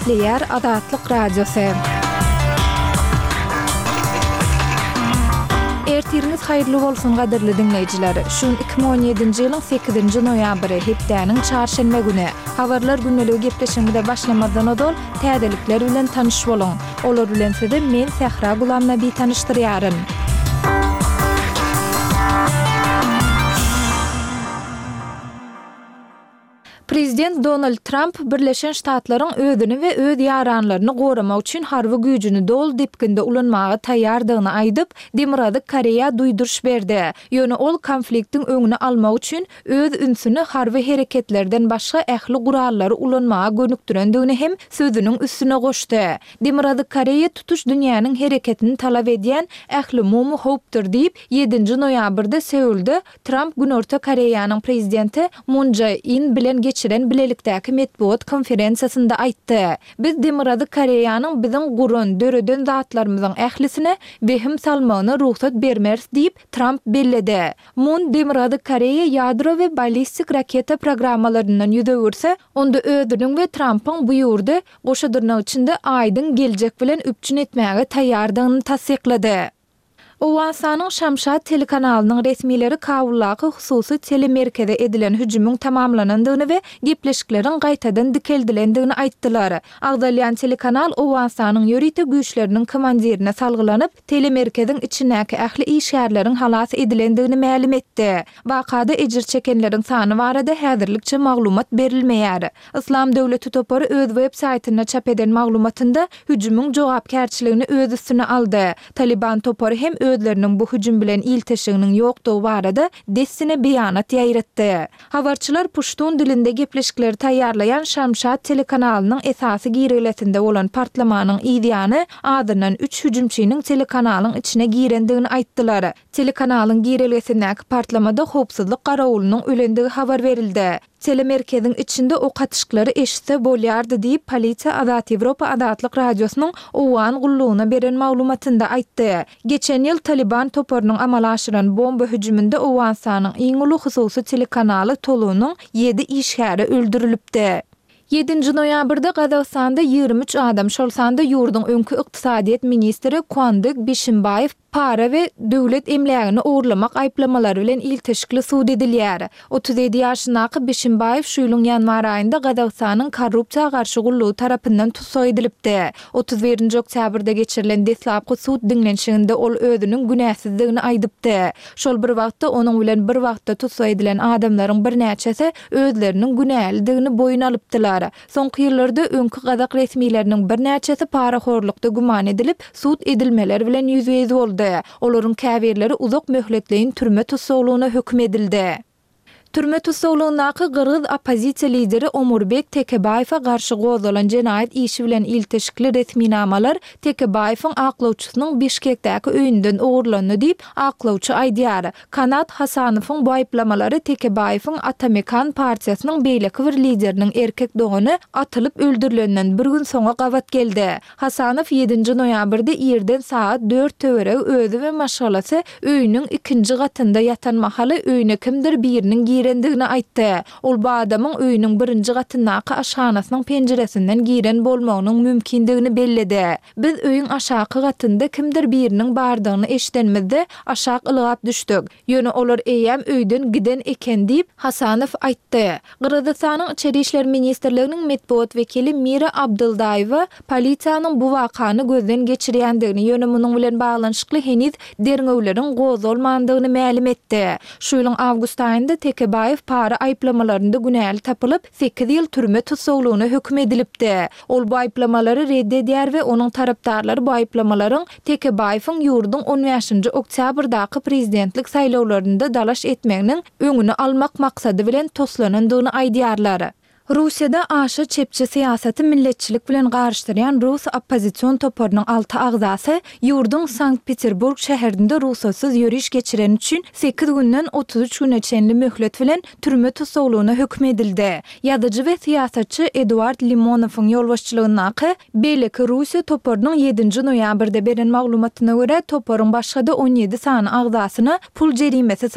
Gepleýär Azatlyk Radiosy. Ertiriňiz haýyrly bolsun gadyrly diňleýjiler! Şu gün 2017-nji ýylyň sekizinji noýabry, hepdäniň çarşenbe güni. Habarlar gündeligi gepleşigimize başlamazdan ozal, täzelikler bilen tanyş boluň. Olar bilen sizi men Sähra Gulamnabi tanyşdyrýaryn. Prezident Donald Tramp Birleşen Ştatlaryň özüni we öz ýaranlaryny goramak üçin harby güýjüni doly depginde ulanmaga taýýardygyny aýdyp, Demirgazyk Koreýa duýduryş berdi. Ýöne ol konfliktiň öňüni almak üçin öz ünsüni harby hereketlerden başga ähli gurallary ulanmaga gönükdirendigini hem sözüniň üstüne goşdy. Demirgazyk Koreýa tutuş dünýäniň hereketini talap edýän ählumumy howpdur diýip, ýedinji noýabrda Seulda Tramp Günorta Koreýanyň prezidenti Mun Jae In bilen geçiren bilelikdäki metbugat konferensiýasynda aýtdy. Biz Demirgazyk Koreýanyň biziň guran, döreden zatlarymyzyň ählisine wehim salmagyna rugsat bermeris diýip, Tramp belledi. Mun Demirgazyk Koreýa ýadro we ballistik raketa programmalaryndan ýüz öwürse, onda özüniň we Trampyň bu ýurdy, goşa dyrnak içinde, aýdyň geljek bilen üpjün etmäge taýýardygyny tassyklady. Owganystanyň Şamşat telekanalynyň resmileri Kabuldaky hususy telemerkeze edilen hüjümiň tamamlanandygyny we gepleşikleriň gaýtadan dikeldilendigini aýtdylar. Agzalýan telekanal Owganystanyň ýörite güýçleriniň komandirine salgylanyp, telemerkeziň içindäki ähli işgärleriň halas edilendigini mälim etdi. Wakada ejir çekenleriň sany barada häzirlikçe maglumat berilmeýär. Yslam döwleti topary öz web saýtynda çap eden maglumatynda hüjümiň jogapkärçiligini öz üstüne aldy. Talyban topary hem özleriniň bu hüjüm bilen ilteşiginiň ýokdugy barada dessine beýanat ýaýratdy. Habarçylar puştun dilinde gepleşikleri taýýarlaýan Şamşat telekanalynyň esasy girelgesinde bolan partlamanyň yzýany azyndan üç hüjümçiniň telekanalyň içine girendigini aýtdylar. Telekanalyň girelgesindäki partlamada howpsuzlyk garawulynyň ölendigi habar berildi. Telemerkeziň içinde ok atyşyklary eşitse bolýardy diýip, polisiýa Azat Ýewropa Azatlyk Radiosynyň Owgan gullugyna beren maglumatynda aýtdy. Geçen ýyl Talyban toparynyň amala aşyran bomba hüjüminde Owganystanyň iň uly hususy telekanaly Tolunyň ýedi işgäri öldürilipdi. Ýedinji noýabrda Gazagystanda 23 adam, şol sanda ýurduň öňki ykdysadyýet ministri Kuandyk Bişimbaýew para we döwlet emlägini ogurlamak aýyplamalary bilen ilteşikli sud edilýär. 37 ýaşyndaky Bişimbaýew şu ýylyň ýanwar aýynda Gazagystanyň Korrupsiýa garşy gullugy tarapyndan tussag edilipdi. 31-nji oktýabrda geçirilen deslapky sud diňlenişiginde ol özüniň günäsizdigini aýdypdy. Şol bir wagtda, onuň bilen bir wagtda tussag edilen adamlaryň birnäçesi özleriniň günälidigini boýun alypdylar. Soňky ýyllarda öňki gazak resmileriniň birnäçesi parahorlukda güman edilip, sud edilmeler bilen ýüzbe-ýüz boldy. Olaryň käbirleri uzak möhletleýin türme tussaglygyna höküm edildi. Türme tussaglygyndaky gyrgyz oppozisiýa lideri Omurbek Tekebaýewe garşy gozgalan jenaýat işi bilen ilteşikli resminamalar Tekebaýewiň aklawçysynyň Bişkekdäki öýünden ogurlandy diýip, aklawçy aýdýar. Kanat Hasanowyň bu aýyplamalary Tekebaýewiň Ata-Mekan partiýasynyň beýleki bir lideriniň erkek dogany atylyp öldürilenden bir gün soňa gabat geldi. Hasanow ýedinji noýabrda irden sagat dört töweregi özi we maşgalasy öýüniň ikinji gatynda ýatan mahaly öýüne kimdir biriniň girendigini aýtdy. Ol bu adamyň öýüniň birinji gatyndaky aşhanasynyň penjiresinden giren bolmagynyň mümkindigini belledi. Biz öýüň aşaky gatynda kimdir biriniň bardygyny eşidenimizde, aşak ylgap düşdük. Ýöne olar eýýäm öýden giden eken diýip, Hasanow aýtdy. Gyrgyzystanyň Içeri işler ministrliginiň metbugat wekili Mira Abdyldaýewa polisiýanyň bu wakany gözden geçirýändigini, ýöne munuň bilen baglanyşykly heniz derňewleriň gozgalmandygyny mälim etdi. Şu ýylyň awgust aýynda Tekebaýew para aýyplamalarynda günäli tapylyp, sekiz ýyl türme tussaglygyna höküm edilipdi. Ol bu aýyplamalary ret edýär we onuň tarapdarlary bu aýyplamalaryň Tekebaýewiň ýurduň on bäşinji oktýabrdaky prezidentlik saýlawlarynda dalaş etmeginiň öňüni almak maksady bilen toslanandygyny aýdýarlar. Russiýada aşa çepçi syýasaty milletçilik bilen garyşdyrýan rus oppozision toparynyň alty agzasy ýurduň Sankt-Peterburg şäherinde rugsatsyz ýöriş geçireni üçin sekiz günden 33 güne çenli möhlet bilen türme tussaglygyna höküm edildi. Ýazyjy we syýasatçy Eduard Limonowyň ýolbaşçylygyndaky Beýleki Russiýa toparynyň ýedinji noýabrda beren maglumatyna görä, toparyň başga-da on ýedi sany agzasyna pul jerimesi.